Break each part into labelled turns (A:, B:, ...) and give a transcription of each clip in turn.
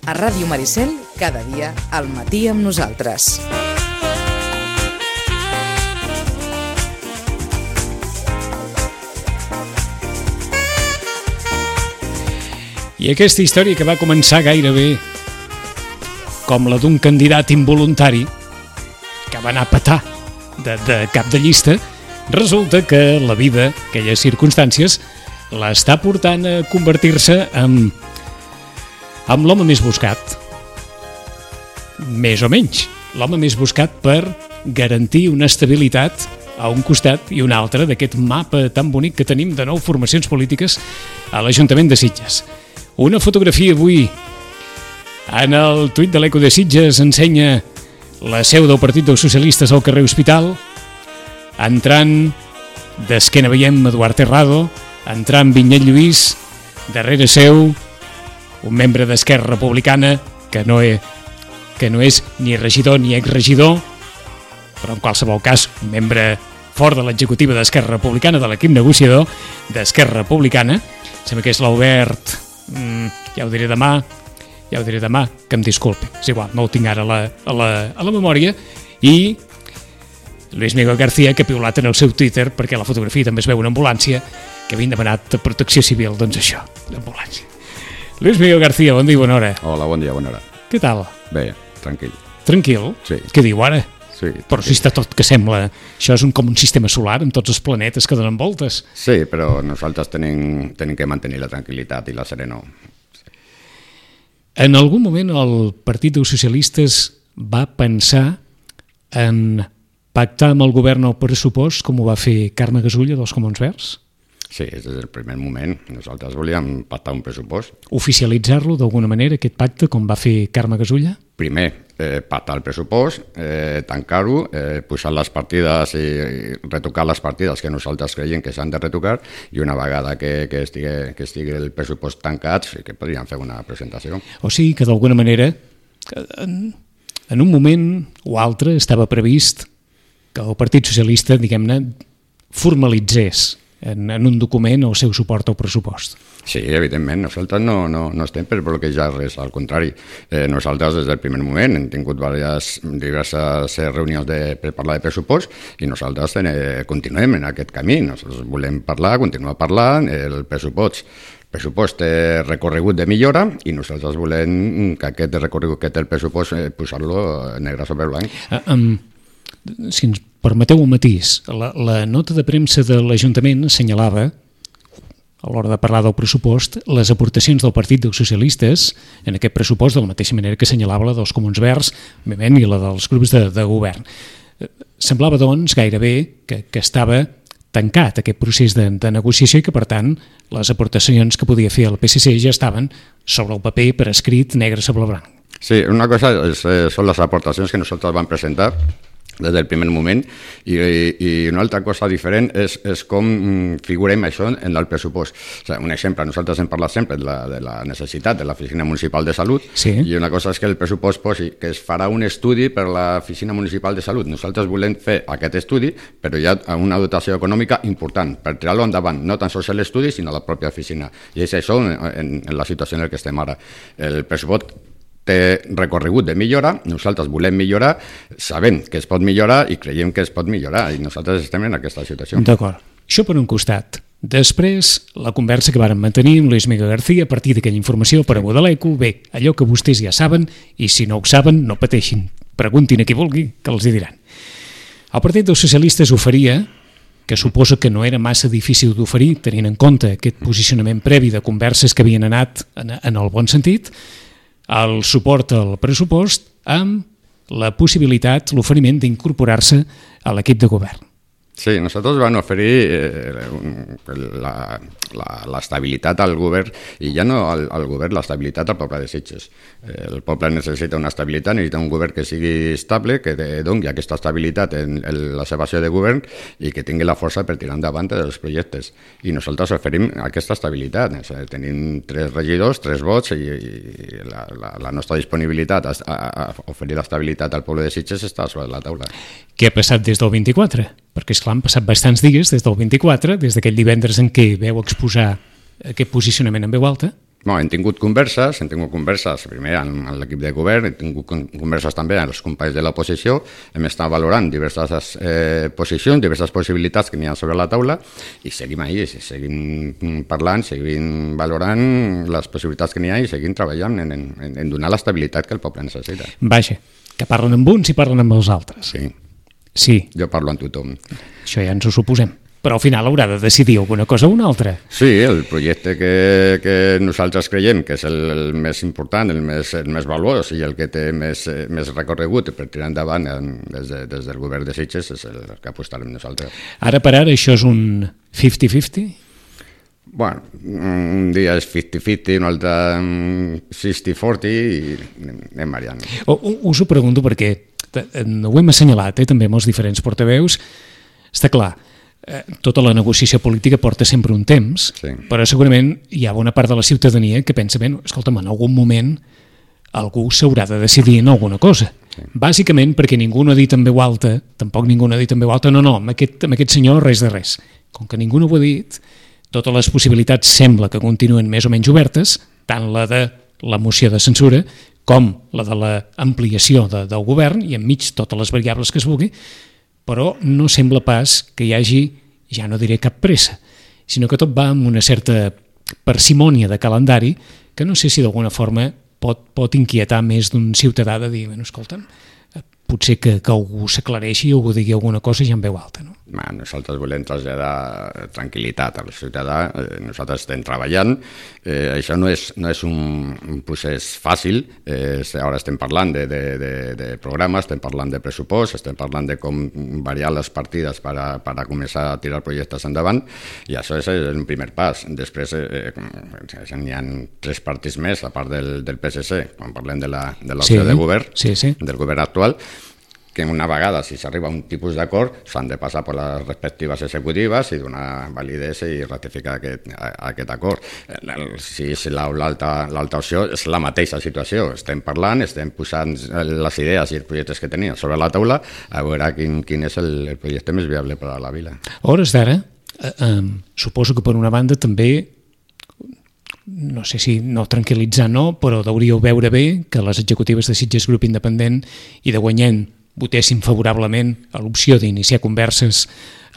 A: A Ràdio Maricel, cada dia al matí amb nosaltres.
B: I aquesta història que va començar gairebé com la d'un candidat involuntari que va anar a petar de cap de llista, resulta que la vida, aquelles circumstàncies, l'està portant a convertir-se en l'home més buscat. Més o menys. L'home més buscat per garantir una estabilitat a un costat i un altre d'aquest mapa tan bonic que tenim de 9 formacions polítiques a l'Ajuntament de Sitges. Una fotografia avui en el tuit de l'Eco de Sitges ensenya la seu del Partit dels Socialistes al carrer Hospital, entrant d'esquena veiem Eduard Terrado, entrant Vinyet Lluís, darrere seu un membre d'Esquerra Republicana que no és ni regidor ni exregidor, però en qualsevol cas un membre fort de l'executiva d'Esquerra Republicana, de l'equip negociador d'Esquerra Republicana. Sembla que és l'Albert, ja ho diré demà, que em disculpi, és igual, no ho tinc ara a la memòria, i Luis Miguel García, que ha piulat en el seu Twitter, perquè a la fotografia també es veu una ambulància, que havien demanat protecció civil, doncs això, l'ambulància. Luis Miguel García, bon dia i bona hora.
C: Hola, bon dia, bona hora.
B: Què tal?
C: Bé, tranquil.
B: Tranquil?
C: Sí.
B: Què diu ara?
C: Sí.
B: Però si està tot que sembla... Això és com un sistema solar amb tots els planetes que donen voltes.
C: Sí, però nosaltres tenim que mantenir la tranquil·litat i la serenor.
B: En algun moment el Partit dels Socialistes va pensar en pactar amb el govern el pressupost, com ho va fer Carme Gasulla dels Comuns Verds?
C: Sí, des del primer moment. Nosaltres volíem pactar un pressupost.
B: Oficialitzar-lo d'alguna manera, aquest pacte, com va fer Carme Gasulla?
C: Primer, pactar el pressupost, tancar-ho, posar les partides i retocar les partides que nosaltres creiem que s'han de retocar, i una vegada que estigui el pressupost tancat, sí que podríem fer una presentació.
B: O sigui que d'alguna manera, en un moment o altre, estava previst que el Partit Socialista, diguem-ne, formalitzés en un document el seu suport al pressupost.
C: Sí, evidentment, nosaltres no estem per bloquejar res, al contrari. Nosaltres des del primer moment hem tingut diverses reunions per parlar de pressupost i nosaltres continuem en aquest camí. Nosaltres volem continuar parlant, el pressupost té recorregut de millora i nosaltres volem que aquest recorregut que té el pressupost posar-lo negre sobre blanc.
B: Si ens permeteu un matís, la nota de premsa de l'Ajuntament assenyalava, a l'hora de parlar del pressupost, les aportacions del Partit dels Socialistes en aquest pressupost, de la mateixa manera que assenyalava la dels Comuns Verds, òbviament, i la dels grups de govern. Semblava, doncs, gairebé que estava tancat aquest procés de negociació i que, per tant, les aportacions que podia fer el PSC ja estaven sobre el paper per escrit negre sobre blanc.
C: Sí, una cosa són les aportacions que nosaltres vam presentar des del primer moment i una altra cosa diferent és com figurem això en el pressupost. O sigui, un exemple, nosaltres hem parlat sempre de la necessitat de l'Oficina Municipal de Salut, sí. I una cosa és que el pressupost posi que es farà un estudi per l'Oficina Municipal de Salut. Nosaltres volem fer aquest estudi, però hi ha una dotació econòmica important per tirar-lo endavant, no tan sols l'estudi, sinó la pròpia oficina. I és això en la situació en què estem ara. El pressupost té recorregut de millora, nosaltres volem millorar, sabem que es pot millorar i creiem que es pot millorar i nosaltres estem en aquesta situació.
B: D'acord. Això per un costat. Després, la conversa que vàrem mantenir amb Luis Miguel García a partir d'aquella informació per a l'ECO, bé, allò que vostès ja saben i si no ho saben, no pateixin. Preguntin a qui vulgui, que els hi diran. El Partit dels Socialistes oferia, que suposo que no era massa difícil d'oferir, tenint en compte aquest posicionament previ de converses que havien anat en el bon sentit, el suport al pressupost amb la possibilitat, l'oferiment d'incorporar-se a l'equip de govern.
C: Sí, nosaltres vam oferir l'estabilitat al govern i ja no al govern, l'estabilitat al poble de Sitges. El poble necessita una estabilitat, necessita un govern que sigui estable, que doni aquesta estabilitat en la seva acció de govern i que tingui la força per tirar endavant els projectes. I nosaltres oferim aquesta estabilitat. Tenim 3 regidors, 3 vots i la nostra disponibilitat a oferir l'estabilitat al poble de Sitges està sobre la taula.
B: Què ha passat des del 24? Perquè, esclar, han passat bastants dies des del 24, des d'aquell divendres en què veu exposar aquest posicionament en veu alta.
C: Hem tingut converses primer amb l'equip de govern, hem tingut converses també amb els companys de l'oposició, hem estat valorant diverses posicions, diverses possibilitats que n'hi ha sobre la taula i seguim ahí, seguim parlant, seguim valorant les possibilitats que n'hi ha i seguim treballant en donar l'estabilitat que el poble necessita.
B: Vaja, que parlen amb uns i parlen amb els altres. Sí.
C: Jo parlo amb tothom.
B: Això ja ens ho suposem. Però al final haurà de decidir alguna cosa o una altra.
C: Sí, el projecte que nosaltres creiem que és el més important, el més valuós i el que té més recorregut per tirar endavant des del govern de Sitges és el que apostarem nosaltres.
B: Ara per ara això és un 50-50?
C: Bueno, un dia és 50-50, un altre 60-40 i anem variant.
B: Us ho pregunto perquè ho hem assenyalat també amb els diferents portaveus. Està clar, tota la negociació política porta sempre un temps, però segurament hi ha bona part de la ciutadania que pensa, escolta'm, en algun moment algú s'haurà de decidir en alguna cosa. Bàsicament perquè ningú no ha dit en veu alta, tampoc ningú no ha dit en veu alta, no, amb aquest senyor res de res. Com que ningú no ho ha dit, totes les possibilitats sembla que continuen més o menys obertes, tant la de la moció de censura com la de l'ampliació del govern i enmig totes les variables que es vulgui, però no sembla pas que hi hagi, ja no diré cap pressa, sinó que tot va amb una certa parsimònia de calendari que no sé si d'alguna forma pot inquietar més d'un ciutadà de dir, escolta'm, potser que algú s'aclareixi o algú digui alguna cosa ja en veu alta, no?
C: Nosaltres volem traslladar tranquil·litat al ciutadà, nosaltres estem treballant, això no és un procés fàcil, ara estem parlant de programes, estem parlant de pressupost, estem parlant de com variar les partides per a començar a tirar projectes endavant, i això és el primer pas. Després n'hi ha 3 partits més, a part del PSC, quan parlem de l'opció de govern, del govern actual, que una vegada, si s'arriba a un tipus d'acord, s'han de passar per les respectives executives i donar validesa i ratificar aquest acord. Si és l'altra opció, és la mateixa situació. Estem parlant, estem posant les idees i els projectes que tenim sobre la taula a veure quin és el projecte més viable per a la vila.
B: A hores d'ara, suposo que per una banda també, no sé si no tranquil·litzar però hauríeu veure bé que les executives de Sitges Grup Independent i de Guanyent votessin favorablement a l'opció d'iniciar converses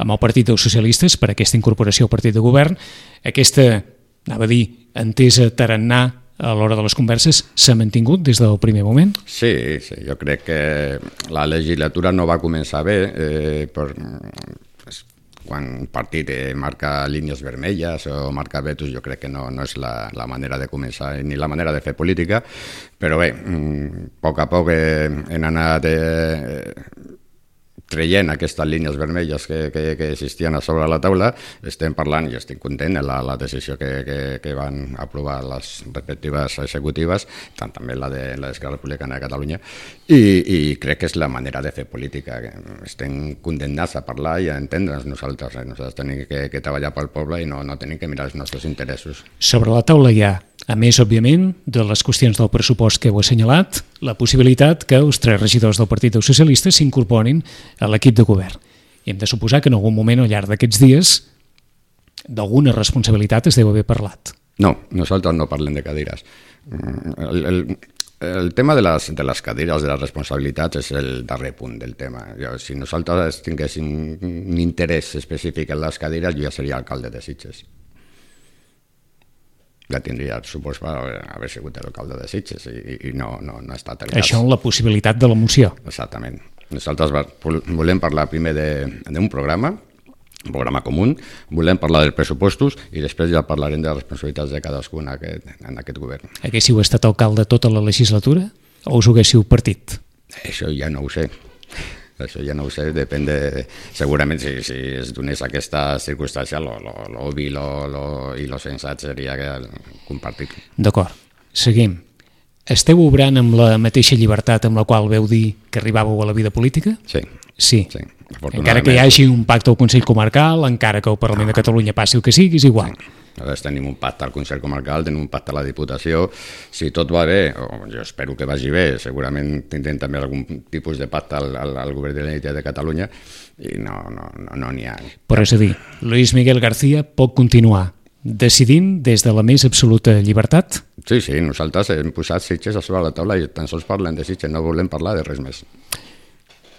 B: amb el Partit dels Socialistes per aquesta incorporació al partit de govern. Aquesta, anava a dir, entesa tarannà a l'hora de les converses s'ha mantingut des del primer moment?
C: Sí, jo crec que la legislatura no va començar bé quan un partit marca línies vermelles o marca vetos, jo crec que no és la manera de començar ni la manera de fer política, però bé, a poc hem anat traient aquestes línies vermelles que existien a sobre la taula. Estem parlant, i estic content de la decisió que van aprovar les respectives executives, tant també la de l'Esquerra Republicana de Catalunya, i crec que és la manera de fer política. Estem condemnats a parlar i a entendre'ns nosaltres. Nosaltres tenim que treballar pel poble i no tenim que mirar els nostres interessos.
B: Sobre la taula hi ha, a més, òbviament, de les qüestions del pressupost que heu assenyalat, la possibilitat que els 3 regidors del Partit dels Socialistes s'incorporin a l'equip de govern. I hem de suposar que en algun moment al llarg d'aquests dies d'alguna responsabilitat es deu haver parlat.
C: No, nosaltres no parlem de cadires. El tema de les cadires, de les responsabilitats, és el darrer punt del tema. Si nosaltres tinguéssim un interès específic en les cadires, jo ja seria alcalde de Sitges. Ja tindria el supost per haver sigut l'alcalde de Sitges i no ha estat el cas.
B: Això en la possibilitat de la moció.
C: Exactament. Nosaltres volem parlar primer d'un programa, un programa comú, volem parlar dels pressupostos i després ja parlarem de les responsabilitats de cadascú en aquest govern.
B: Haguéssiu estat alcalde tota la legislatura o us ho haguéssiu partit?
C: Això ja no ho sé. Això ja no ho sé, depèn de... Segurament si es donés aquesta circumstància, l'obvi i lo sensat seria compartir.
B: D'acord, seguim. Esteu obrant amb la mateixa llibertat amb la qual veu dir que arribàveu a la vida política?
C: Sí.
B: Encara que hi hagi un pacte al Consell Comarcal, encara que el Parlament de Catalunya passi el que sigui, és igual.
C: Nosaltres tenim un pacte al Consell Comarcal, tenim un pacte a la Diputació. Si tot va bé, jo espero que vagi bé, segurament tindrem també algun tipus de pacte al Govern de la Generalitat de Catalunya i no n'hi ha.
B: Però és a dir, Luis Miguel García pot continuar decidint des de la més absoluta llibertat?
C: Sí, nosaltres hem posat Sitges a sobre la taula i tan sols parlem de Sitges, no volem parlar de res més.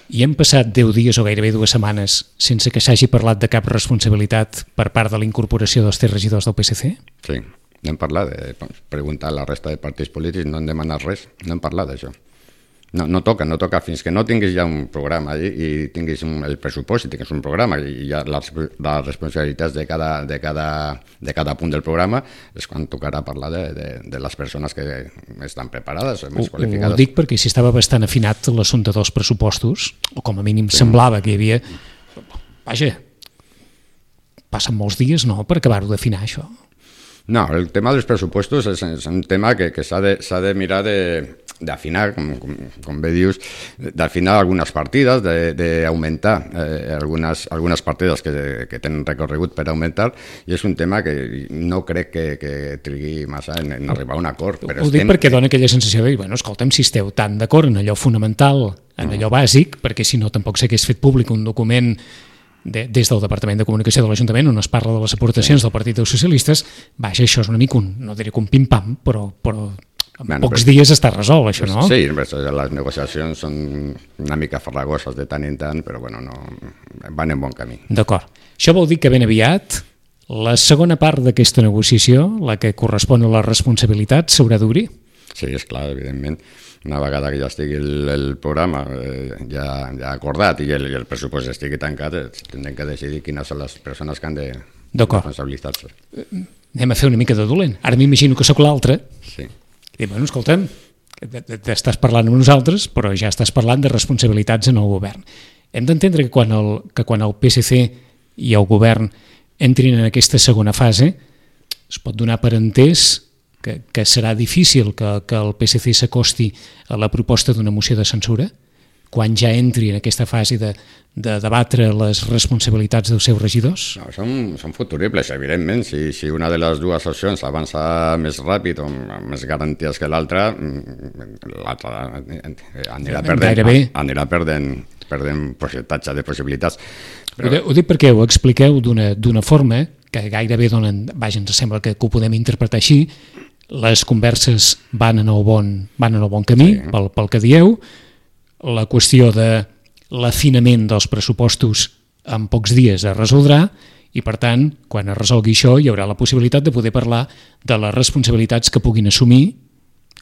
B: I hem passat 10 dies o gairebé 2 setmanes sense que s'hagi parlat de cap responsabilitat per part de la incorporació dels 3 regidors del PSC?
C: Sí, n'hem parlat de preguntar a la resta de partits polítics, no hem demanat res, no hem parlat d'això. No toca, fins que no tinguis ja un programa i tinguis el pressupost i tinguis un programa i ja les responsabilitats de cada punt del programa és quan tocarà parlar de les persones que estan preparades, més qualificades.
B: Ho dic perquè si estava bastant afinat l'assumpte dels pressupostos, o com a mínim semblava que hi havia... Vaja, passen molts dies, no?, per acabar-ho d'afinar, això.
C: No, el tema dels pressupostos és un tema que s'ha de mirar d'afinar, com bé dius, d'afinar algunes partides, d'augmentar algunes partides que tenen recorregut per augmentar, i és un tema que no crec que trigui massa en arribar a un acord.
B: Ho dic perquè dona aquella sensació de dir, bueno, escolta'm, si esteu tan d'acord en allò fonamental, en allò bàsic, perquè si no tampoc s'hagués fet públic un document des del Departament de Comunicació de l'Ajuntament on es parla de les aportacions del Partit dels Socialistes, vaja, això és una mica no diré que un pim-pam, però en pocs dies està resolt, això, no?
C: Sí, les negociacions són una mica farragoses de tant en tant, però bueno, van en bon camí.
B: D'acord. Això vol dir que ben aviat la segona part d'aquesta negociació, la que correspon a les responsabilitats, s'haurà d'obrir?
C: Sí, és clar, evidentment. Una vegada que ja estigui el programa ja acordat i el pressupost estigui tancat, tindrem que decidir quines són les persones que han de responsabilitzar-se.
B: Anem a fer una mica de dolent. Ara m'imagino que sóc l'altre.
C: Sí.
B: I dic, bueno, escolta'm, estàs parlant amb nosaltres, però ja estàs parlant de responsabilitats en el govern. Hem d'entendre que quan el PSC i el govern entrin en aquesta segona fase, es pot donar per entès que serà difícil que el PSC s'acosti a la proposta d'una moció de censura quan ja entri en aquesta fase de debatre les responsabilitats dels seus regidors?
C: No, són futuribles, evidentment. Si una de les dues opcions avança més ràpid o amb més garanties que l'altra anirà perdent percentatge de possibilitats.
B: Ho dic perquè ho expliqueu d'una forma que gairebé ens sembla que ho podem interpretar així. Les converses van en el bon camí, sí, pel que dieu. La qüestió de l'afinament dels pressupostos en pocs dies es resoldrà i, per tant, quan es resolgui això, hi haurà la possibilitat de poder parlar de les responsabilitats que puguin assumir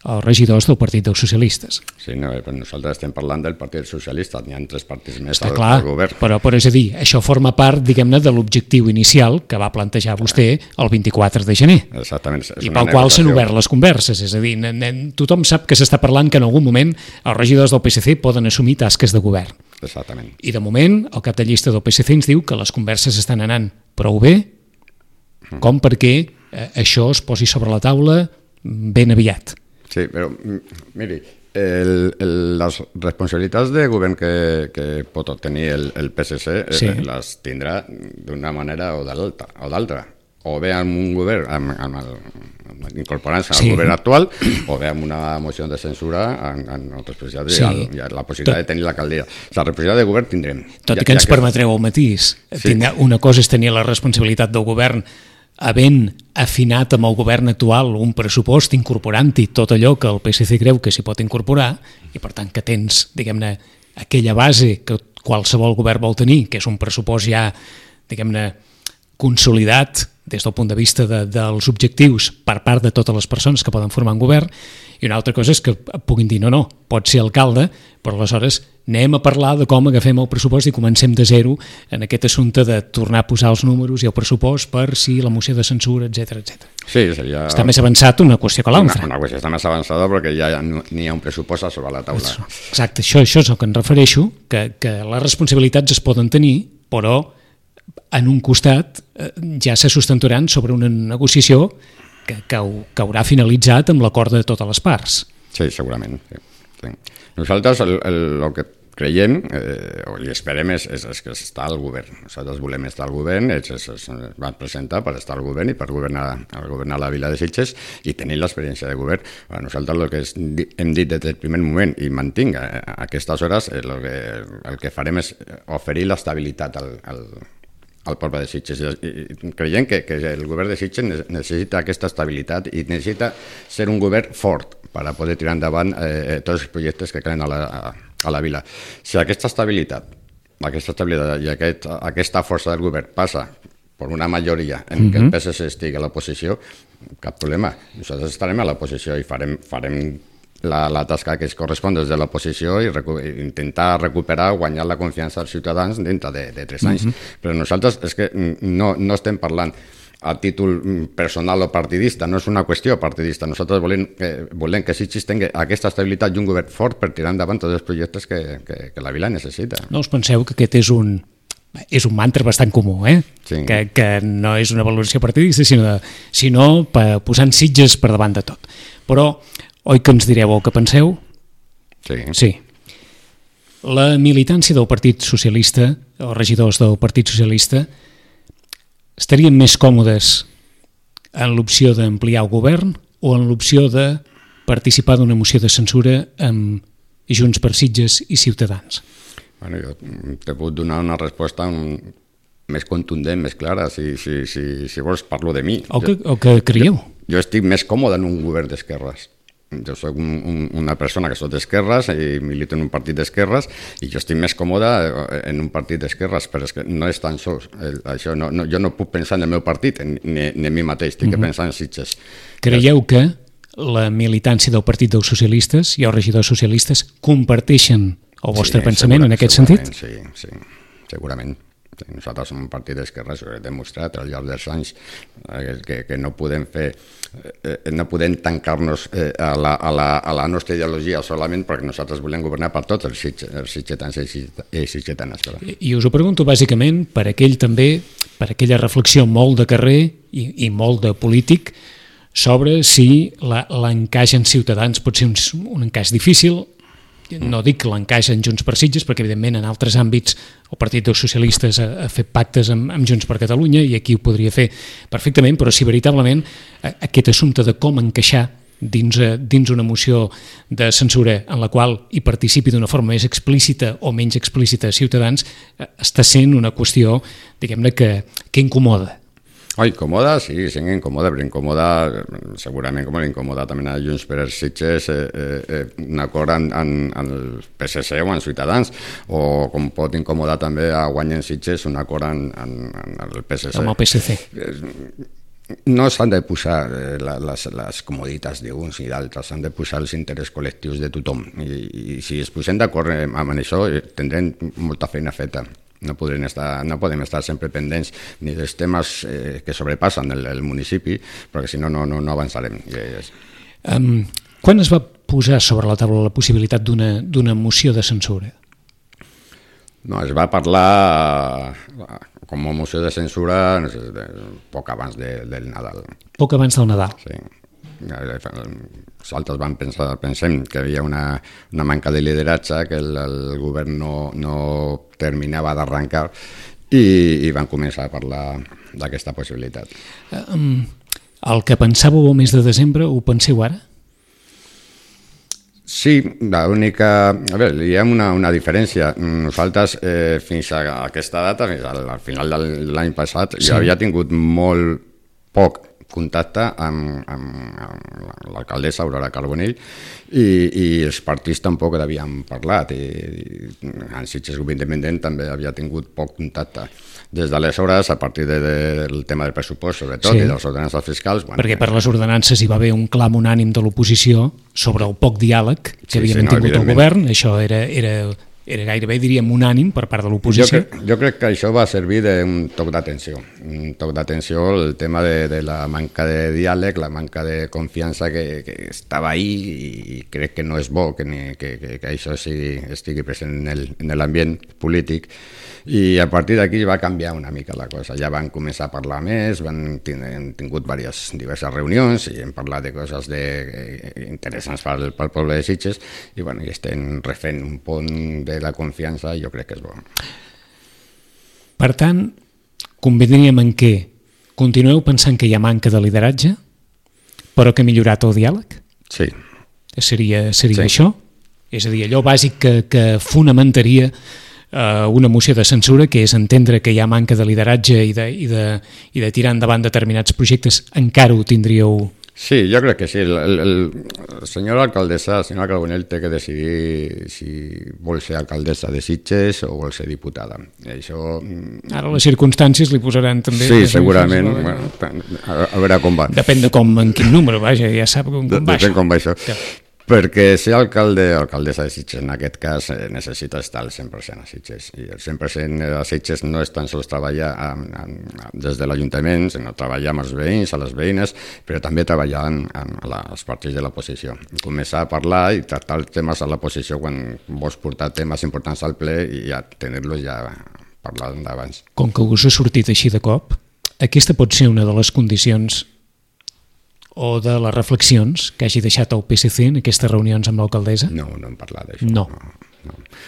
B: els regidors del Partit dels Socialistes.
C: Sí, no, però nosaltres estem parlant del Partit Socialista, n'hi ha 3 partits més al govern.
B: Però és a dir, això forma part, diguem-ne, de l'objectiu inicial que va plantejar vostè el 24 de gener.
C: Exactament.
B: I pel qual s'han obert les converses, és a dir, tothom sap que s'està parlant que en algun moment els regidors del PSC poden assumir tasques de govern.
C: Exactament.
B: I de moment, el cap de llista del PSC ens diu que les converses estan anant prou bé, com perquè això es posi sobre la taula ben aviat.
C: Sí, però miri, les responsabilitats de govern que pot obtenir el PSC les tindrà d'una manera o d'altra. O bé amb un govern, incorporant-se al govern actual, o bé amb una moció de censura en responsabilitat i la possibilitat de tenir l'alcaldia. La responsabilitat de govern tindrem.
B: Tot i que ens permetreu el matís. Una cosa és tenir la responsabilitat del govern havent afinat amb el govern actual un pressupost incorporant-hi tot allò que el PSC creu que s'hi pot incorporar i per tant que tens, diguem-ne, aquella base que qualsevol govern vol tenir, que és un pressupost ja, diguem-ne, consolidat des del punt de vista dels objectius per part de totes les persones que poden formar un govern, i una altra cosa és que puguin dir no, pot ser alcalde, però aleshores anem a parlar de com agafem el pressupost i comencem de zero en aquest assumpte de tornar a posar els números i el pressupost per si la moció de censura, etc.
C: Sí, seria...
B: Està més avançat una qüestió que l'altra.
C: Una qüestió està més avançada perquè ja n'hi ha un pressupost sobre la taula.
B: Exacte, això és el que em refereixo, que les responsabilitats es poden tenir, però en un costat ja se sustentaran sobre una negociació que haurà finalitzat amb l'acord de totes les parts.
C: Sí, segurament. Sí. Nosaltres el que creiem o li esperem és que està al govern. Nosaltres volem estar al govern, ells es van presentar per estar al govern i per governar la vila de Sitges i tenir l'experiència de govern. Nosaltres el que hem dit des del primer moment i mantinc a aquestes hores el que farem és oferir l'estabilitat al poble de Sitges. I creiem que el govern de Sitges necessita aquesta estabilitat i necessita ser un govern fort per a poder tirar endavant tots els projectes que calen a la vila. Si aquesta estabilitat i aquesta força del govern passa per una majoria en què el PSC estigui a l'oposició, cap problema. Nosaltres estarem a l'oposició i farem la tasca que es correspon des de l'oposició i intentar recuperar o guanyar la confiança dels ciutadans dintre de 3 anys. Però nosaltres és que no estem parlant a títol personal o partidista, no és una qüestió partidista. Nosaltres volem que Sitges tingui aquesta estabilitat i un govern fort per tirar endavant tots els projectes que la vila necessita.
B: No us penseu que aquest és un mantra bastant comú,
C: Sí.
B: Que no és una valoració partidista, sinó posant Sitges per davant de tot. Però, oi que ens direu el que penseu? Sí. La militància del Partit Socialista, els regidors del Partit Socialista, estarien més còmodes en l'opció d'ampliar el govern o en l'opció de participar d'una moció de censura amb Junts per Sitges i Ciutadans?
C: Bueno, jo te puc donar una resposta més contundent, més clara. Si vols, parlo de mi.
B: O que creieu?
C: Jo estic més còmode en un govern d'esquerres. Jo soc una persona que soc d'esquerres i milito en un partit d'esquerres i jo estic més còmode en un partit d'esquerres, però és que no és tan sols. Jo no puc pensar en el meu partit ni en mi mateix, estic pensant en Sitges.
B: Creieu que la militància del Partit dels Socialistes i els regidors socialistes comparteixen el vostre pensament en aquest sentit?
C: Sí, segurament. Nosaltres som un partit d'esquerres i ho hem demostrat al llarg dels anys que no podem tancar-nos a la nostra ideologia solament perquè nosaltres volem governar per tots els sitgetans i sitgetanes.
B: I us ho pregunto bàsicament per aquella reflexió molt de carrer i molt de polític sobre si l'encaix en Ciutadans pot ser un encaix difícil. No dic l'encaix en Junts per Sitges, perquè evidentment en altres àmbits el Partit dels Socialistes ha fet pactes amb Junts per Catalunya i aquí ho podria fer perfectament, però si veritablement aquest assumpte de com encaixar dins una moció de censura en la qual hi participi d'una forma més explícita o menys explícita Ciutadans està sent una qüestió, diguem-ne, que incomoda.
C: Incomoda, sí, incomoda, però incomoda, segurament com l'incomoda també a Junts per Sitges un acord en el PSC o en Ciutadans, o com pot incomodar també a Guanyen Sitges un acord en el PSC.
B: Amb el PSC.
C: No s'han de posar les comoditats d'uns i d'altres, s'han de posar els interessos col·lectius de tothom. I si es posem d'acord amb això, tindrem molta feina feta. No podem estar sempre pendents ni dels temes que sobrepassen el municipi, perquè si no avançarem.
B: Quan es va posar sobre la taula la possibilitat d'una moció de censura?
C: No, es va parlar com a moció de censura poc abans del Nadal.
B: Poc abans del Nadal?
C: Sí. Nosaltres pensem que hi havia una manca de lideratge, que el govern no terminava d'arrencar i van començar a parlar d'aquesta possibilitat.
B: El que pensàveu el mes de desembre ho penseu ara?
C: Sí, l'única... A veure, hi ha una diferència. Nosaltres, fins a aquesta data, fins al final de l'any passat, jo havia tingut molt poc contacte amb l'alcaldessa Aurora Carbonell i els partits tampoc havien parlat i en Sitges Grup Independent també havia tingut poc contacte. Des d'aleshores, a partir del tema del pressupost, sobretot, i de les ordenances fiscals...
B: Perquè per les ordenances hi va haver un clam unànim de l'oposició sobre el poc diàleg que havia mantingut el govern. Això era gairebé, diríem, unànim per part de l'oposició.
C: Jo crec que això va servir d'un toc d'atenció. Un toc d'atenció, el tema de la manca de diàleg, la manca de confiança que estava ahí i crec que no és bo que això estigui present en l'ambient polític. I a partir d'aquí va canviar una mica la cosa. Ja van començar a parlar més, han tingut diverses reunions i hem parlat de coses interessants pel poble de Sitges i estem refent un pont de la confiança i jo crec que és bo.
B: Per tant, convindríem en què continueu pensant que hi ha manca de lideratge, però que ha millorat el diàleg?
C: Sí.
B: Seria això? És a dir, allò bàsic que fonamentaria una moció de censura, que és entendre que hi ha manca de lideratge i de tirar endavant determinats projectes, encara ho tindríeu?
C: Sí, jo crec que sí. El senyor alcaldessa, el senyor Carbonell, té que decidir si vol ser alcaldessa de Sitges o vol ser diputada. I això...
B: Ara les circumstàncies li posaran també...
C: Sí, segurament. Bueno, a veure com va.
B: Depèn de en quin número, vaja, ja sap com va això.
C: Depèn com va això. Ja. Perquè ser alcalde o alcaldessa de Sitges en aquest cas necessita estar al 100% a Sitges, i el 100% a Sitges no és tan sols treballar des de l'Ajuntament, sinó treballar amb els veïns, a les veïnes, però també treballar amb els partits de l'oposició. Començar a parlar i tractar els temes a l'oposició quan vols portar temes importants al ple i ja tenir-los ja parlant d'abans.
B: Com que us ha sortit així de cop, aquesta pot ser una de les condicions o de les reflexions que hagi deixat el PSC en aquestes reunions amb l'alcaldessa?
C: No, no hem parlat d'això.
B: No.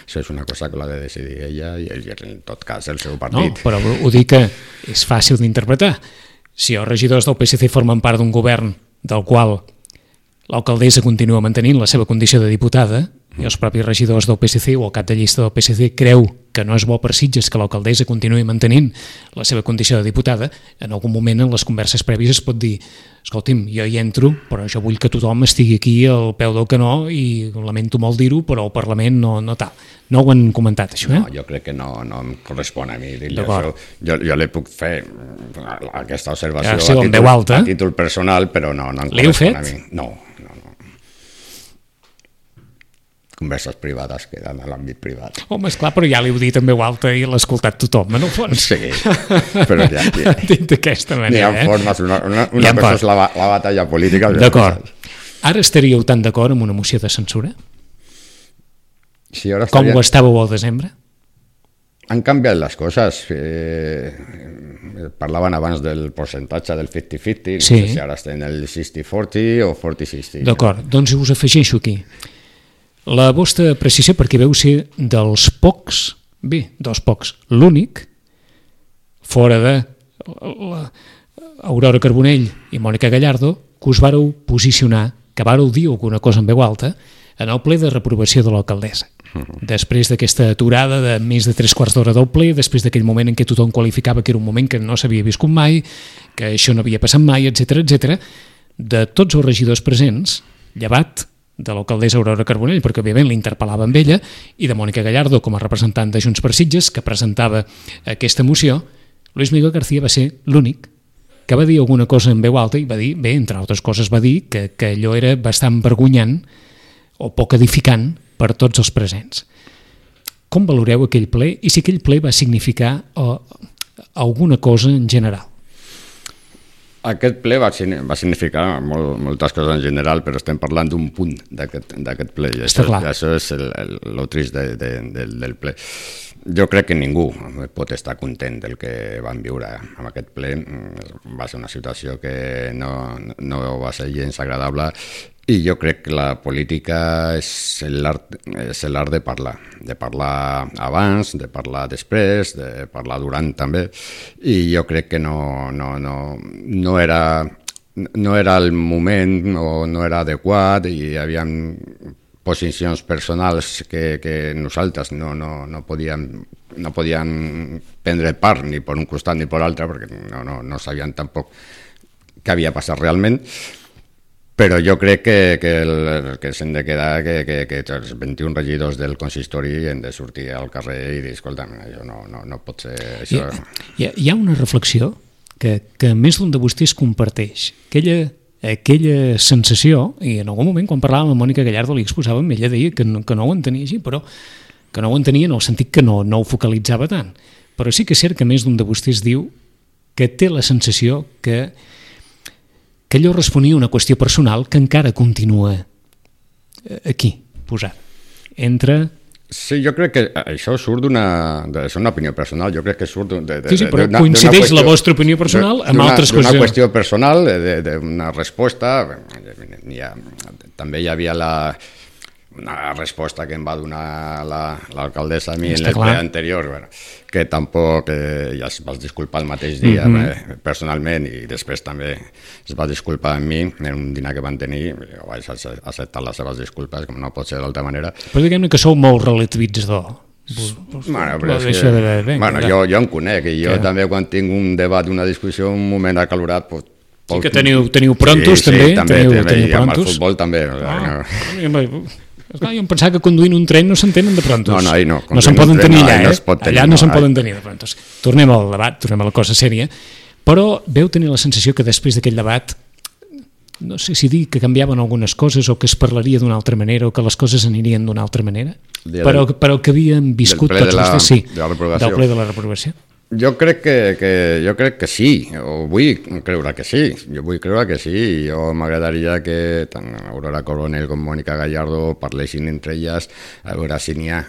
C: Això és una cosa que l'ha de decidir ella i en tot cas el seu partit.
B: No, però ho dic que és fàcil d'interpretar. Si els regidors del PSC formen part d'un govern del qual l'alcaldessa continua mantenint la seva condició de diputada i els propis regidors del PSC o el cap de llista del PSC creu que no és bo per Sitges que l'alcaldessa continuï mantenint la seva condició de diputada, en algun moment en les converses prèvies es pot dir: escolti'm, jo hi entro, però jo vull que tothom estigui aquí al peu del canó i lamento molt dir-ho, però el Parlament no tal. No ho han comentat, això, eh?
C: No, jo crec que no em correspon a mi dir-li això. Jo li puc fer aquesta observació a títol personal, però no em correspon a mi. No. Converses privades queden a l'àmbit privat.
B: Home, esclar, però ja li heu dit en veu alta i l'ha escoltat tothom, en el fons.
C: Sí, però ja...
B: Dit d'aquesta manera,
C: N'hi ha formes, una cosa és la batalla política.
B: D'acord. Ara estaríeu tan d'acord amb una moció de censura?
C: Sí, ara
B: com ho estàveu al desembre?
C: Han canviat les coses. Parlaven abans del percentatge del 50-50, no sé si ara estem en el 60-40 o 40-60.
B: D'acord, doncs us afegeixo aquí. La vostra precisió, perquè veu ser dels pocs, l'únic, fora de Aurora Carbonell i Mònica Gallardo, que us vareu posicionar, que vareu dir alguna cosa en veu alta, en el ple de reprovació de l'alcaldessa. Després d'aquesta aturada de més de 3/4 d'hora del ple, després d'aquell moment en què tothom qualificava que era un moment que no s'havia viscut mai, que això no havia passat mai, etc., de tots els regidors presents, llevat de l'alcaldessa Aurora Carbonell, perquè òbviament l'interpel·lava amb ella, i de Mònica Gallardo com a representant de Junts per Sitges, que presentava aquesta moció, Luis Miguel García va ser l'únic que va dir alguna cosa en veu alta i va dir, bé, entre altres coses va dir que allò era bastant vergonyant o poc edificant per tots els presents. Com valoreu aquell ple i si aquell ple va significar alguna cosa en general?
C: Aquest ple va significar moltes coses en general, però estem parlant d'un punt d'aquest ple, i això és el trist del ple. Jo crec que ningú pot estar content del que vam viure amb aquest ple. Va ser una situació que no va ser gens agradable, i jo crec que la política és l'art de parlar abans, de parlar després, de parlar durant també, i jo crec que no era el moment o no era adequat, i hi havia posicions personals que nosaltres no podíem prendre part ni per un costat ni per l'altre, perquè no sabíem tampoc què havia passat realment. Però jo crec que s'hem de quedar que els 21 regidors del consistori hem de sortir al carrer i dir, escolta'm, això no pot ser això.
B: Hi ha una reflexió que més d'un de vostès comparteix. Aquella sensació, i en algun moment quan parlàvem amb Mònica Gallardo li exposàvem, ella deia que no ho entenia així, però que no ho entenia en el sentit que no ho focalitzava tant. Però sí que és cert que més d'un de vostès diu que té la sensació que allò responia a una qüestió personal que encara continua aquí, posat.
C: Sí, jo crec que això surt és una opinió personal, jo crec que surt
B: Sí, però coincideix la vostra opinió personal amb altres coses.
C: D'una qüestió personal, d'una resposta. També hi havia una resposta que em va donar l'alcaldessa a mi en el ple anterior, que tampoc ja es va disculpar el mateix dia personalment, i després també es va disculpar amb mi en un dinar que van tenir. Jo vaig acceptar les seves disculpes, com no pot ser d'altra manera.
B: Però diguem-ne que sou molt relativitzador
C: Però és que, jo em conec, i jo també quan tinc un debat, una discussió, un moment acalorat,
B: sí que teniu prontos, també?
C: Sí, també,
B: i
C: amb el futbol també.
B: Jo em pensava que conduint un tren no s'entenen de prontos.
C: No, no.
B: No se'n poden tenir allà, allà no se'n poden tenir de prontos. Tornem al debat, tornem a la cosa sèria, però veu tenir la sensació que després d'aquell debat, no sé si dir que canviaven algunes coses o que es parlaria d'una altra manera o que les coses anirien d'una altra manera, però que havien viscut tots vostès, sí, del ple de la reprovació.
C: Jo crec que sí, o vull creure que sí, i jo m'agradaria que tant Aurora Coronel com Mònica Gallardo parlessin entre elles a veure si n'hi ha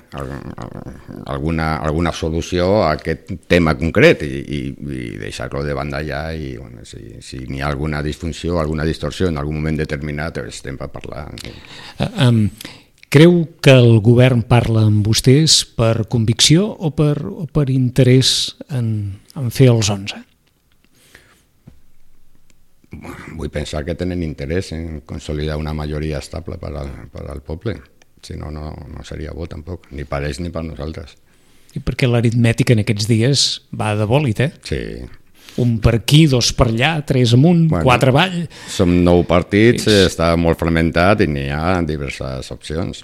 C: alguna solució a aquest tema concret i deixar-lo de banda ja, i bueno, si n'hi ha alguna disfunció, alguna distorsió en algun moment determinat, estem per parlar.
B: Creu que el govern parla amb vostès per convicció o per interès en fer els 11?
C: Vull pensar que tenen interès en consolidar una majoria estable per al poble. Si no, no seria bo tampoc, ni per ells ni per nosaltres.
B: I perquè l'aritmètica en aquests dies va de bòlit, eh?
C: Sí.
B: Un per aquí, dos per allà, 3 amunt, 4 avall.
C: Som 9 partits, està molt fragmentat i n'hi ha diverses opcions.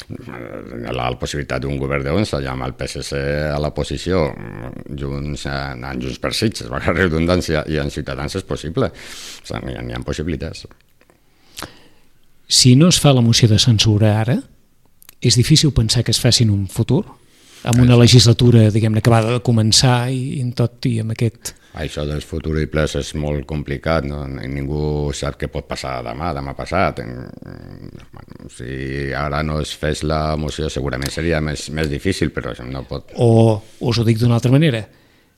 C: La possibilitat d'un govern d'11 ja amb el PSC a la posició, Junts per Sitges, per la redundància, i en Ciutadans és possible. O sigui, n'hi ha possibilitats.
B: Si no es fa la moció de censura ara, és difícil pensar que es faci en un futur? Amb una legislatura, diguem-ne, acabada de començar i tot i amb aquest...
C: Això dels futurs i plens és molt complicat, no? Ningú sap què pot passar demà passat. Si ara no es fes la moció segurament seria més difícil, però no pot...
B: O us ho dic d'una altra manera,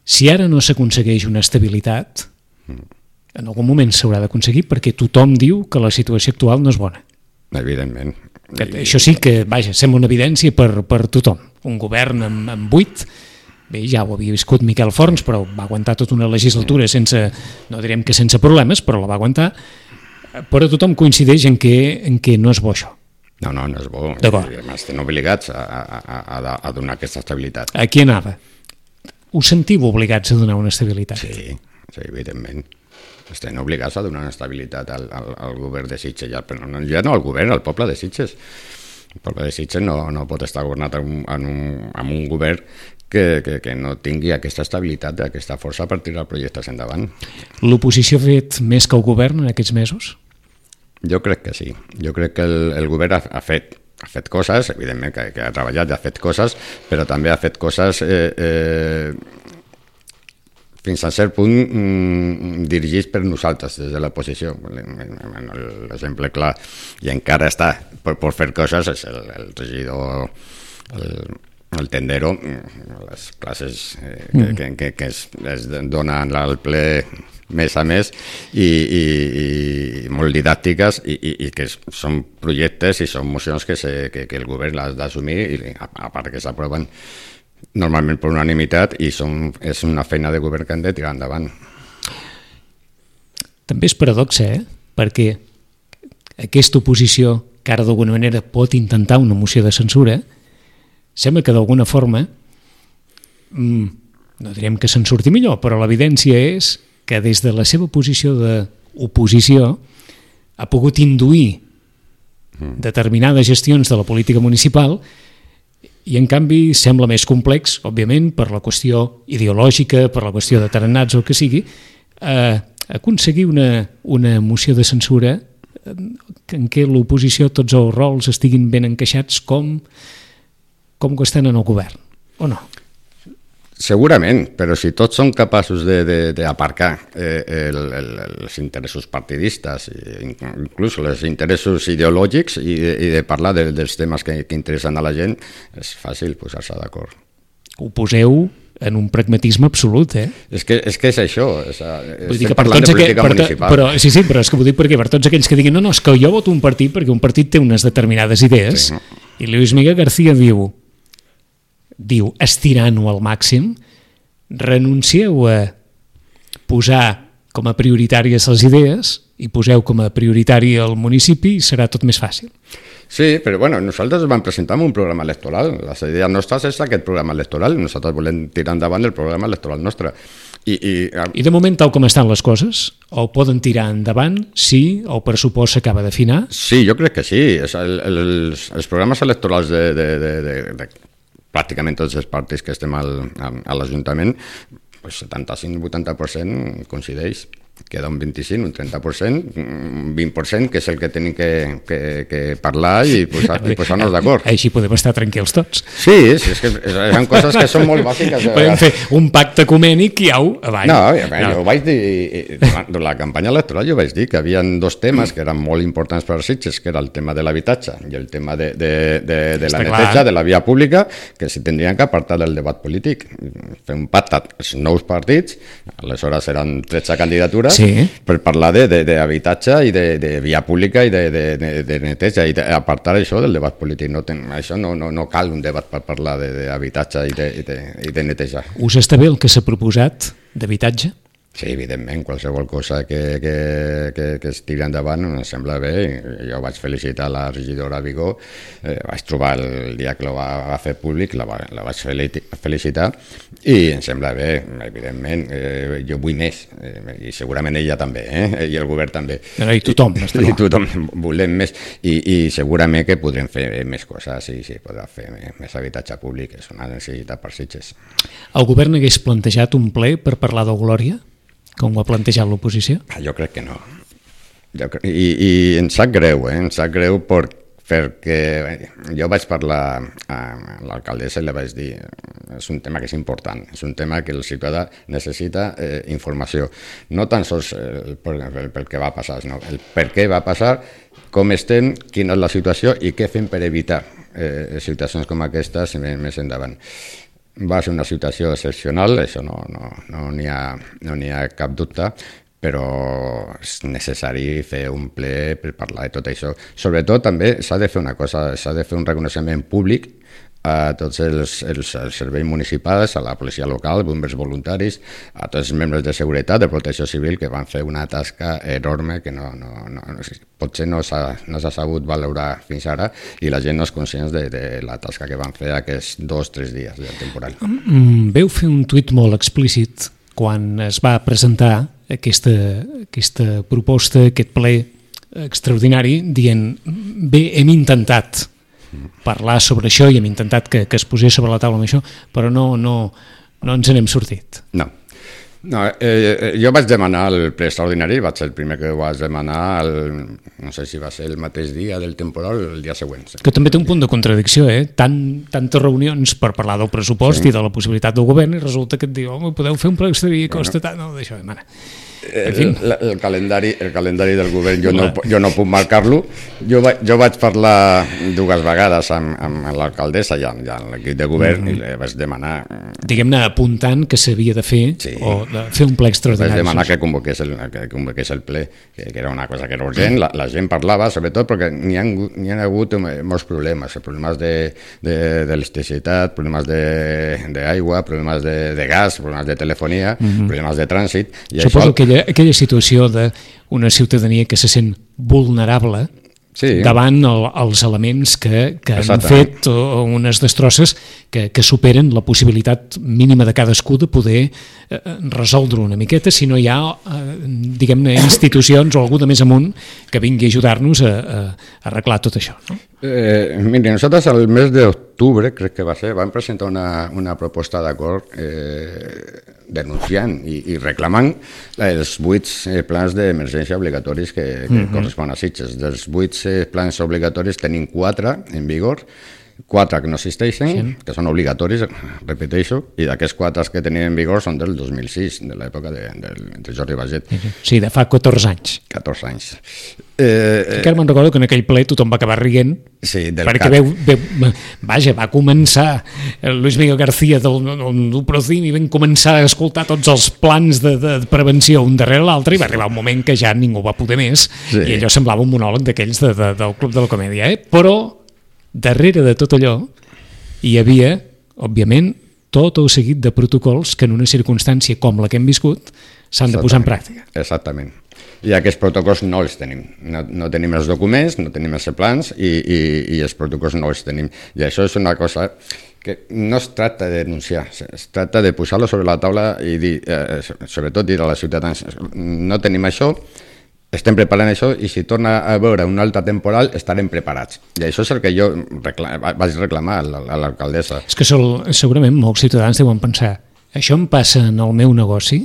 B: si ara no s'aconsegueix una estabilitat, en algun moment s'haurà d'aconseguir perquè tothom diu que la situació actual no és bona.
C: Evidentment.
B: Això sí que, vaja, sembla una evidència per tothom. Un govern amb 8, bé, ja ho havia viscut Miquel Forns, però va aguantar tota una legislatura sense, no direm que sense problemes, però la va aguantar, però tothom coincideix en que no és bo això.
C: No és bo. Estem obligats a donar aquesta estabilitat.
B: A qui anava? Us sentiu obligats a donar una estabilitat?
C: Sí, evidentment. Estem obligats a donar una estabilitat al govern de Sitges, ja no al govern, al poble de Sitges. El poble de Sitges no pot estar governat amb un govern que no tingui aquesta estabilitat, aquesta força per tirar projectes endavant.
B: L'oposició ha fet més que el govern en aquests mesos?
C: Jo crec que sí. Jo crec que el govern ha fet coses, evidentment que ha treballat i ha fet coses, però també ha fet coses fins a cert punt dirigits per nosaltres des de l'oposició. L'exemple clar, i encara està per fer coses, és el regidor, el tendero, les classes que es donen al ple mes a mes i molt didàctiques i que són projectes i són mocions que el govern ha d'assumir, i a part que s'aproven normalment per unanimitat, i és una feina de govern que han de tirar endavant.
B: També és paradoxa, perquè aquesta oposició, que ara d'alguna manera pot intentar una moció de censura, sembla que d'alguna forma, no direm que se'n surti millor, però l'evidència és que des de la seva posició d'oposició ha pogut induir determinades gestions de la política municipal, i en canvi sembla més complex, òbviament, per la qüestió ideològica, per la qüestió de tarannats o el que sigui, aconseguir una moció de censura en què l'oposició, tots els rols estiguin ben encaixats com ho estan en el govern, o no?
C: Segurament, però si tots són capaços d'aparcar els interessos partidistes, inclús els interessos ideològics, i de parlar dels temes que interessen a la gent, és fàcil posar-se d'acord.
B: Ho poseu en un pragmatisme absolut,
C: És que és això,
B: estem parlant de política municipal. Sí, però és que vull dir perquè per tots aquells que diguin no, és que jo voto un partit perquè un partit té unes determinades idees, i Luis Miguel García diu, estirant-ho al màxim, renuncieu a posar com a prioritàries les idees i poseu com a prioritari el municipi i serà tot més fàcil.
C: Sí, però bueno, nosaltres vam presentar un programa electoral. La idea nostra és aquest programa electoral. Nosaltres volem tirar endavant el programa electoral nostre.
B: I de moment, tal com estan les coses, o poden tirar endavant si el pressupost s'acaba d'afinar?
C: Sí, jo crec que sí. Els programes electorals de pràcticament tots els partits que estem a l'Ajuntament, 75-80% coincideix. Queda un 25, un 30%, un 20%, que és el que tenim que parlar i posar-nos d'acord.
B: Així podem estar tranquils tots.
C: Sí, és que són coses que són molt bàsiques.
B: Podem fer un pacte ecumènic i au, avall.
C: No, jo vaig dir, durant la campanya electoral jo vaig dir que hi havia dos temes que eren molt importants per a Sitges, que era el tema de l'habitatge i el tema de la neteja de la via pública, que s'hi tindrien que apartar del debat polític. Fer un pacte els nous partits, aleshores eren 13 candidatures, per parlar d'habitatge i de via pública i de neteja i apartar això del debat polític. Això no cal un debat per parlar d'habitatge i de neteja.
B: Us està bé el que s'ha proposat d'habitatge?
C: Sí, evidentment, qualsevol cosa que es tiri endavant em sembla bé. Jo vaig felicitar la regidora Vigó, vaig trobar el dia que la va fer públic, la vaig felicitar i em sembla bé, evidentment. Jo vull més, i segurament ella també, i el govern també.
B: I tothom, està clar.
C: I tothom volem més, i segurament que podrem fer més coses, i sí, podrà fer més habitatge públic, és una necessitat per Sitges.
B: El govern hagués plantejat un ple per parlar de Glòria? Com ho ha plantejat l'oposició?
C: Jo crec que no. I em sap greu, em sap greu perquè jo vaig parlar a l'alcaldessa i li vaig dir és un tema que és important, és un tema que el ciutadà necessita informació. No tan sols pel que va passar, sinó el per què va passar, com estem, quina és la situació i què fem per evitar situacions com aquestes més endavant. Va ser una situació excepcional, això no n'hi ha cap dubte, però és necessari fer un ple per parlar de tot això. Sobretot també s'ha de fer una cosa, s'ha de fer un reconeixement públic a tots els serveis municipals, a la policia local, bombers voluntaris, a tots els membres de seguretat, de protecció civil, que van fer una tasca enorme que potser no s'ha sabut valorar fins ara i la gent no és conscient de la tasca que van fer aquests 2-3 dies del temporal.
B: Veu fer un tuit molt explícit quan es va presentar aquesta proposta, aquest ple extraordinari, dient, bé, hem intentat parlar sobre això i hem intentat que es posés sobre la taula amb això, però no ens n'hem sortit.
C: No, jo vaig demanar el ple extraordinari, vaig ser el primer que ho vaig demanar, no sé si va ser el mateix dia del temporal o el dia següent.
B: Que també té un punt de contradicció, tantes reunions per parlar del pressupost i de la possibilitat del govern i resulta que et diu, home, podeu fer un ple extraordinari que costa tant, no, d'això, mare.
C: El calendari del govern jo no puc marcar-lo. Jo vaig parlar 2 vegades amb l'alcaldessa i amb l'equip de govern i li vaig demanar...
B: Diguem-ne, apuntant que s'havia de fer o de fer un ple extraordinari.
C: Vaig demanar que convoqués el ple, que era una cosa que era urgent. La gent parlava, sobretot perquè n'hi ha hagut molts problemes d'electricitat, problemes d'aigua, problemes de gas, problemes de telefonia, problemes de trànsit.
B: Suposo que aquella situació d'una ciutadania que se sent vulnerable davant els elements que han fet unes destrosses que superen la possibilitat mínima de cadascú de poder resoldre una miqueta si no hi ha, diguem-ne, institucions o algú de més amunt que vingui a ajudar-nos a arreglar tot això, no?
C: Miri, nosaltres al mes d'octubre, crec que va ser, vam presentar una proposta d'acord denunciant i reclamant els 8 plans d'emergència obligatoris que corresponen a Sitges. Dels 8 plans obligatoris tenim 4 en vigor, 4 que no existeixen, que són obligatoris, repeteixo, i d'aquests 4 que tenim en vigor són del 2006, de l'època de Jordi Baget.
B: Sí, de fa 14 anys.
C: 14 anys.
B: Encara me'n recordo que en aquell ple tothom va acabar rient, perquè va començar Luis Miguel García del Procim i vam començar a escoltar tots els plans de prevenció un darrere l'altre i va arribar un moment que ja ningú va poder més i allò semblava un monòleg d'aquells del Club de la Comèdia, però darrere de tot allò hi havia, òbviament, tot el seguit de protocols que en una circumstància com la que hem viscut s'han de posar en pràctica.
C: Exactament. i aquests protocols no els tenim. No tenim els documents, no tenim els plans i els protocols no els tenim. I això és una cosa que no es tracta de denunciar, es tracta de posar-lo sobre la taula i dir, sobretot dir a la ciutadans, no tenim això, estem preparant això i si torna a veure una alta temporal estarem preparats. I això és el que jo vaig reclamar a l'alcaldessa.
B: És que segurament molts ciutadans deuen pensar, això em passa en el meu negoci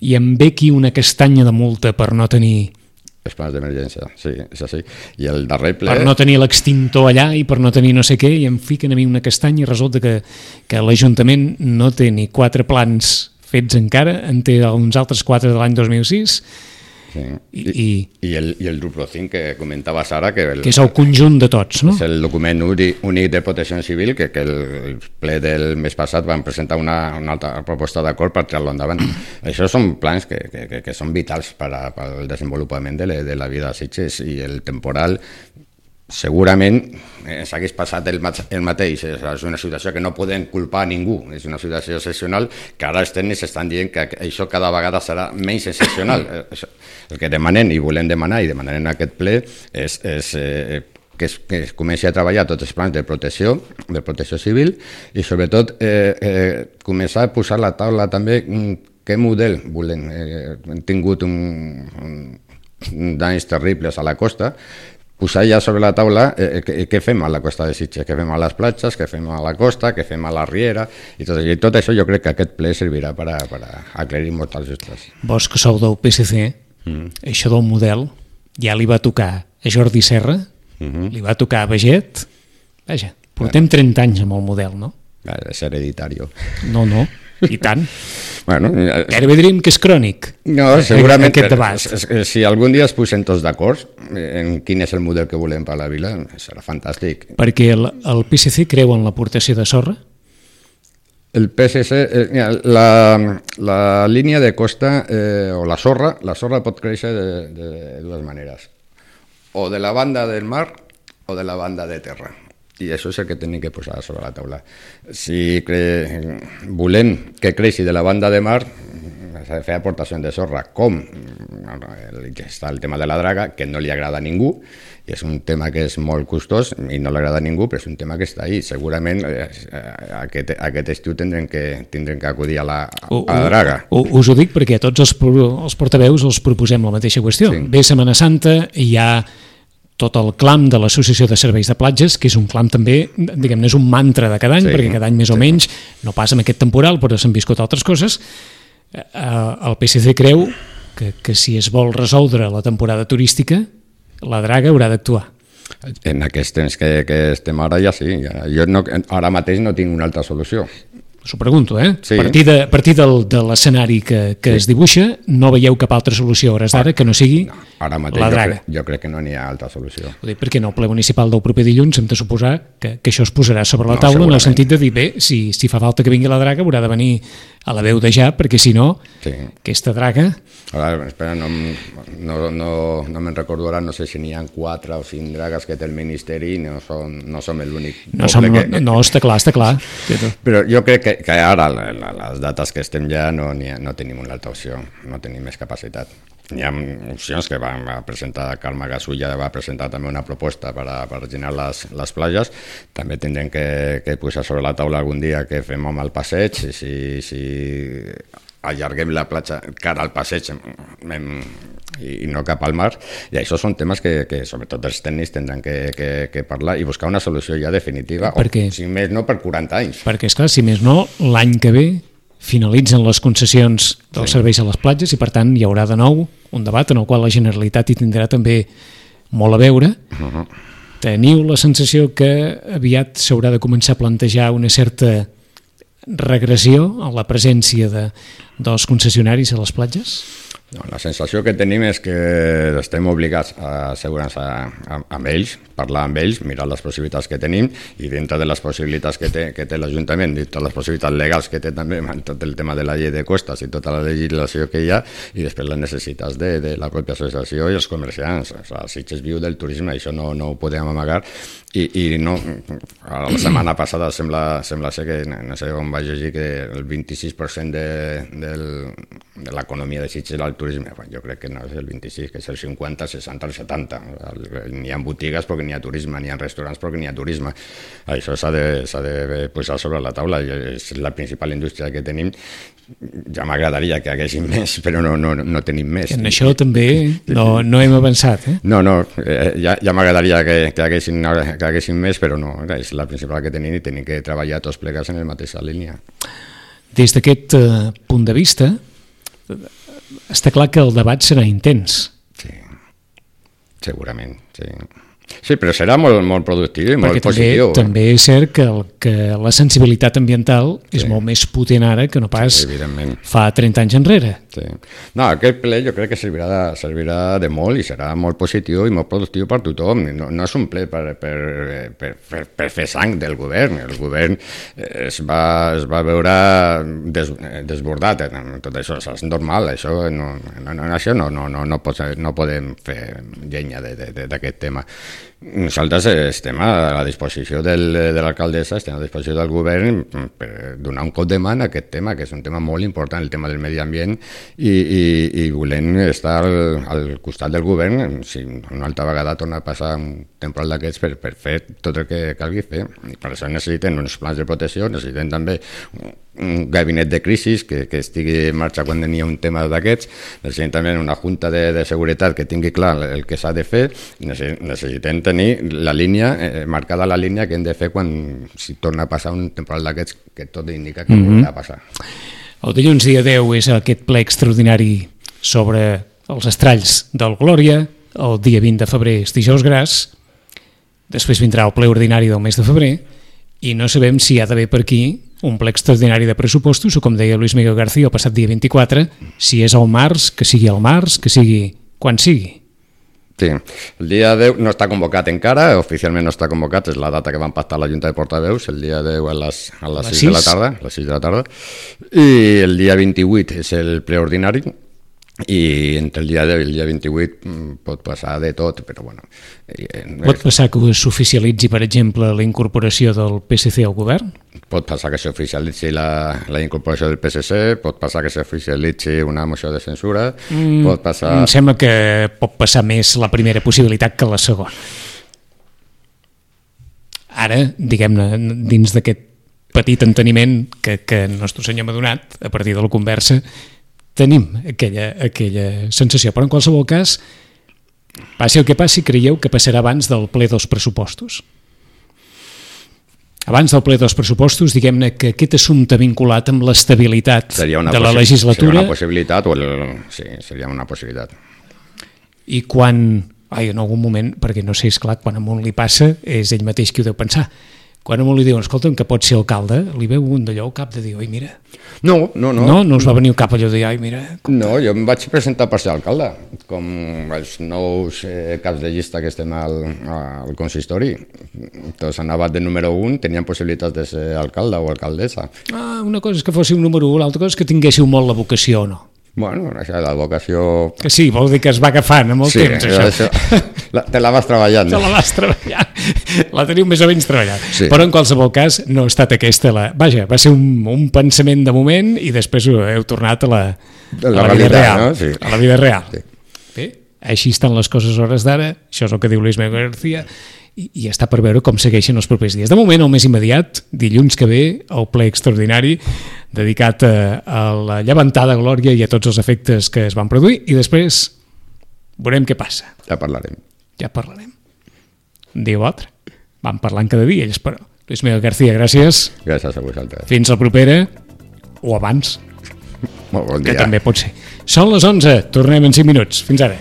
B: i em ve aquí una castanya de multa per no tenir...
C: Els plans d'emergència, sí, és així. I el darrer ple...
B: Per no tenir l'extintor allà i per no tenir no sé què, i em fiquen a mi una castanya i resulta que l'Ajuntament no té ni 4 plans fets encara, en té uns altres 4 de l'any 2006...
C: Sí. I el Duplo 5 que comentava Sara, que
B: és el conjunt de tots, no?
C: És el document únic de protecció civil que el ple del mes passat van presentar una altra proposta d'acord per tirar-lo endavant. Això són plans que són vitals per al desenvolupament de la vida a Sitges, i el temporal segurament s'hagués passat el mateix. És una situació que no podem culpar a ningú, és una situació excepcional que ara els tècnics estan dient que això cada vegada serà menys excepcional. El que demanem i volem demanar i demanarem en aquest ple és que es comenci a treballar tots els plans de protecció civil i sobretot començar a posar a la taula també què model volem. Hem tingut danys terribles a la costa, posar ja sobre la taula què fem a la costa de Sitges, què fem a les platges, què fem a la costa, què fem a la riera, i tot això jo crec que aquest ple servirà per aclarir moltes dubtes.
B: Vos que sou del PSC, això del model ja li va tocar a Jordi Serra, li va tocar a Baget, vaja, portem 30 anys amb el model, no?
C: És hereditari.
B: No, i tant.
C: Bueno,
B: gairebé diríem que és crònic.
C: No, segurament
B: aquest debat.
C: Si algun dia es posen tots d'acord en quin és el model que volem per a la vila, serà fantàstic.
B: Perquè el PSC creu en l'aportació de sorra?
C: El PSC, la línia de costa o la sorra pot créixer de dues maneres, o de la banda del mar o de la banda de terra. I això és el que hem de posar sobre la taula. Si volem que creixi de la banda de mar, s'ha de fer aportació de sorra, com està el tema de la draga, que no li agrada a ningú, i és un tema que és molt costós i no li agrada a ningú, però és un tema que està ahí. Segurament aquest estiu tindrem que acudir a la draga.
B: Us ho dic perquè a tots els portaveus els proposem la mateixa qüestió. Sí. Ve Setmana Santa i hi ha tot el clam de l'Associació de Serveis de Platges, que és un clam també, diguem-ne, és un mantra de cada any, perquè cada any més o menys, no passa amb aquest temporal, però s'han viscut altres coses. El PSC creu que si es vol resoldre la temporada turística, la draga haurà d'actuar.
C: En aquest temps que estem ara ja sí. Jo ara mateix no tinc una altra solució.
B: Us ho pregunto,
C: Sí.
B: A partir de l'escenari que es dibuixa, no veieu cap altra solució a hores d'ara que no sigui la draga?
C: Jo crec que no n'hi ha altra solució.
B: Ho dic perquè en el ple municipal del proper dilluns hem de suposar que això es posarà sobre la taula, en el sentit de dir, bé, si fa falta que vingui la draga haurà de venir a la veu de ja, perquè si no, aquesta draga...
C: Ara, espera, no me'n recordo ara, no sé si n'hi ha 4 o 5 dragues que té el Ministeri i no som l'únic.
B: No, està clar.
C: Però jo crec que ara, les dates que estem ja, no tenim una altra opció, no tenim més capacitat. Hi ha opcions que va presentar Carme Gasulla, va presentar també una proposta per rellenar les platges. També tindrem que posar sobre la taula algun dia què fem amb el passeig, si allarguem la platja cara al passeig i no cap al mar, i això són temes que sobretot els tècnics tindran que parlar i buscar una solució ja definitiva, o si més no per 40 anys.
B: Perquè, esclar, si més no, l'any que ve finalitzen les concessions dels serveis a les platges i, per tant, hi haurà de nou un debat en el qual la Generalitat hi tindrà també molt a veure. Teniu la sensació que aviat s'haurà de començar a plantejar una certa regressió a la presència dels concessionaris a les platges?
C: No, la sensació que tenim és que estem obligats a asseure'ns amb ells, parlar amb ells, mirar les possibilitats que tenim i dintre de les possibilitats que té l'Ajuntament, dintre de les possibilitats legals que té també amb tot el tema de la llei de costes i tota la legislació que hi ha, i després les necessitats de la pròpia associació i els comerciants. O sigui, Sitges viu del turisme, això no ho podem amagar, i no, la setmana passada sembla ser que, no sé on vaig llegir, que el 26% de l'economia de Sitges era el turisme? Jo crec que no és el 26, que és el 50, el 60, el 70. N'hi ha botigues perquè n'hi ha turisme, n'hi ha restaurants perquè n'hi ha turisme. Això s'ha de posar sobre la taula, és la principal indústria que tenim. Ja m'agradaria que haguéssim més, però no tenim més.
B: En això també no hem avançat, eh?
C: No, ja m'agradaria que haguéssim més, però no, és la principal que tenim i tenim que treballar tots plegats en la mateixa línia.
B: Des d'aquest punt de vista, està clar que el debat serà intens.
C: Sí, segurament, sí. Sí, però serà molt productiu i molt positiu.
B: També és cert que la sensibilitat ambiental és molt més potent ara que no pas fa 30 anys enrere.
C: Sí. No, aquest ple jo crec que servirà de molt i serà molt positiu i molt productiu per tothom. No és un ple per fer sang del govern. El govern es va veure desbordat. Tot això és normal. No podem fer llenya d'aquest tema. Nosaltres estem a la disposició de l'alcaldessa, estem a la disposició del govern per donar un cop de mà a aquest tema, que és un tema molt important, el tema del medi ambient, i volem estar al costat del govern si una altra vegada torna a passar un temporal d'aquests per fer tot el que calgui fer. I per això necessiten uns plans de protecció, necessiten també un gabinet de crisi que estigui en marxa quan hi ha un tema d'aquests, necessitem també una junta de seguretat que tingui clar el que s'ha de fer, necessitem tenir la línia, marcada la línia que hem de fer si torna a passar un temporal d'aquests que tot indica que ha passar.
B: El dilluns dia 10 és aquest ple extraordinari sobre els estralls del Glòria, el dia 20 de febrer és dijous gras, després vindrà el ple ordinari del mes de febrer i no sabem si hi ha d'haver per aquí un ple extraordinari de pressupostos o, com deia Luis Miguel García el passat dia 24, si és al març, que sigui al març, que sigui quan sigui.
C: Sí, el dia 10 no està convocat encara, oficialment no està convocat, és la data que van pactar la Junta de Portaveus, el dia 10 a les 6 de la tarda, i el dia 28 és el ple ordinari, i entre el dia 10 i el dia 28 pot passar de tot, però bueno...
B: Pot passar que s'oficialitzi, per exemple, la incorporació del PSC al govern?
C: Pot passar que s'oficialitzi la incorporació del PSC, pot passar que s'oficialitzi una moció de censura, pot passar...
B: Em sembla que pot passar més la primera possibilitat que la segona. Ara, diguem-ne, dins d'aquest petit enteniment que el nostre senyor m'ha donat, a partir de la conversa, tenim aquella sensació, però en qualsevol cas, passi el que passi, creieu que passarà abans del ple dels pressupostos? Abans del ple dels pressupostos, diguem-ne que aquest assumpte vinculat amb l'estabilitat de la legislatura...
C: Seria una possibilitat, sí, seria una possibilitat.
B: I quan, en algun moment, perquè no sé, és clar, quan a un li passa, és ell mateix qui ho deu pensar, quan a un li diuen, escolta'm, que pot ser alcalde, li veu un d'allò al cap de dir, oi, mira...
C: No.
B: No us va venir al cap allò de dir, ai, mira...
C: No, jo em vaig presentar per ser alcalde, com els nous caps de llista que estem al consistori. Tots anaven de número 1, tenien possibilitats de ser alcalde o alcaldessa.
B: Una cosa és que fóssiu número 1, l'altra cosa és que tinguéssiu molt la vocació, no?
C: Bueno, això, la vocació...
B: Que sí, vol dir que es va agafant amb el temps, això.
C: Te la vas treballant.
B: Te la vas treballant. La teniu més o menys treballat.
C: Sí.
B: Però en qualsevol cas no ha estat aquesta la... Vaja, va ser un pensament de moment i després heu tornat a la vida real. No? Sí. A la vida real. Sí. Bé, així estan les coses a hores d'ara, això és el que diu Luis Miguel García, i està per veure com segueixen els propers dies. De moment, el més immediat, dilluns que ve, el ple extraordinari dedicat a la llevantada Glòria i a tots els efectes que es van produir, i després veurem què passa.
C: Ja parlarem.
B: Un dia o altre. Vam parlant cada dia, ells, però. Luis Miguel García, gràcies.
C: Gràcies a vosaltres.
B: Fins la propera, o abans.
C: Molt bon dia.
B: Que també pot ser. Són les 11, tornem en 5 minuts. Fins ara.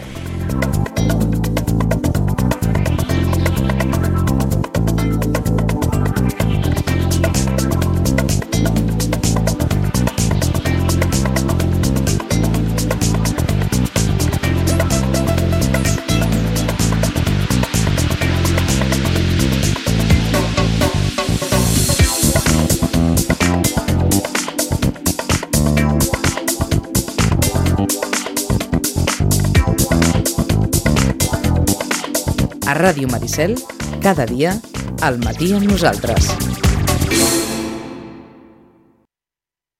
A: A Ràdio Maricel, cada dia, al matí amb nosaltres.